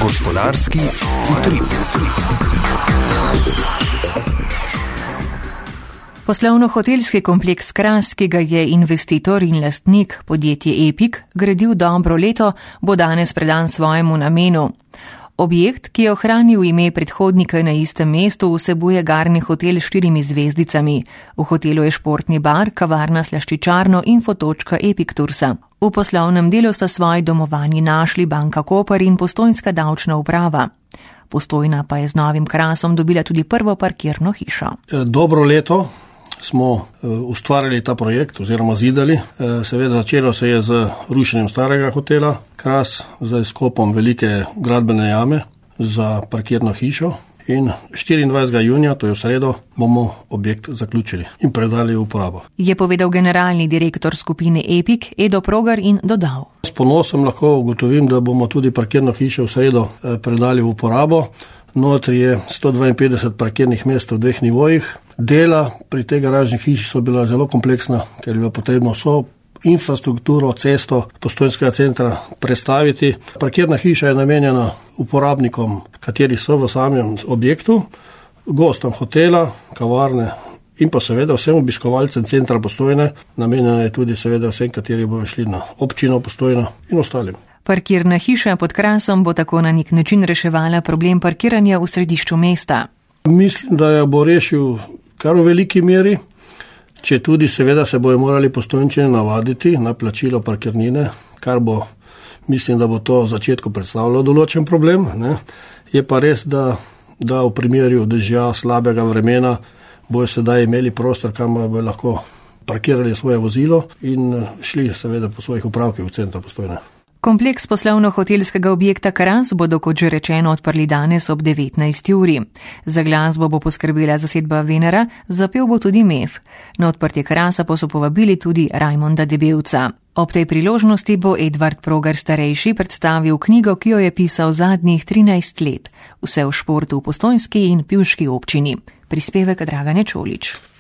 Gospodarski utrip. Poslovno-hotelski kompleks Kras, ki ga je investitor in lastnik podjetje Epik gradil dobro leto, bo danes predan svojemu namenu. Objekt, ki je ohranil ime predhodnika na istem mestu, vsebuje garni hotel s 4 zvezdicami. V hotelu je športni bar, kavarna slaščičarno in fotočka Epik Toursa. V poslovnem delu sta svoji domovanji našli Banka Koper in Postojnska davčna uprava. Postojna pa je z novim Krasom dobila tudi prvo parkirno hišo. Dobro leto smo ustvarili ta projekt oziroma zidali. Seveda začelo se je z rušenjem starega hotela Kras, z izkopom velike gradbene jame za parkirno hišo in 24. junija, to je v sredo, bomo objekt zaključili in predali v uporabo. Je povedal generalni direktor skupine Epik Edo Progar in dodal. S ponosom lahko ugotovim, da bomo tudi parkirno hišo v sredo predali v uporabo. Notri je 152 parkirnih mest v 2 nivojih. Dela pri tej garažni hiši so bila zelo kompleksna, ker je bilo potrebno vso infrastrukturo, cesto Postojnskega centra prestaviti. Parkirna hiša je namenjena uporabnikom, kateri so v samem objektu, gostom hotela, kavarne in pa seveda vsem obiskovalcem centra Postojne. Namenjena je tudi seveda vsem, kateri bojo šli na občino Postojna in ostalim. Parkirna hiša pod Krasom bo tako na nek način reševala problem parkiranja v središču mesta. Mislim, da jo bo rešil kar v veliki meri, če tudi seveda se bojo morali Postojnčani navaditi na plačilo parkirnine, kar bo, mislim, da bo to v začetku predstavljalo določen problem. Ne. Je pa res, da v primeru dežja, slabega vremena bojo sedaj imeli prostor, kamor bojo lahko parkirali svoje vozilo in šli seveda po svojih upravkih v centru Postojne. Kompleks poslovno-hotelskega objekta Kras bodo, kot že rečeno, odprli danes ob 19. uri. Za glasbo bo poskrbela zasedba Venera, zapel bo tudi MEF. Na odprtje Krasa pa so povabili tudi Rajmonda Debevca. Ob tej priložnosti bo Edvard Progar starejši predstavil knjigo, ki jo je pisal zadnjih 13 let. Vse o športu v postojnski in pivški občini. Prispevek Dragane Čolič.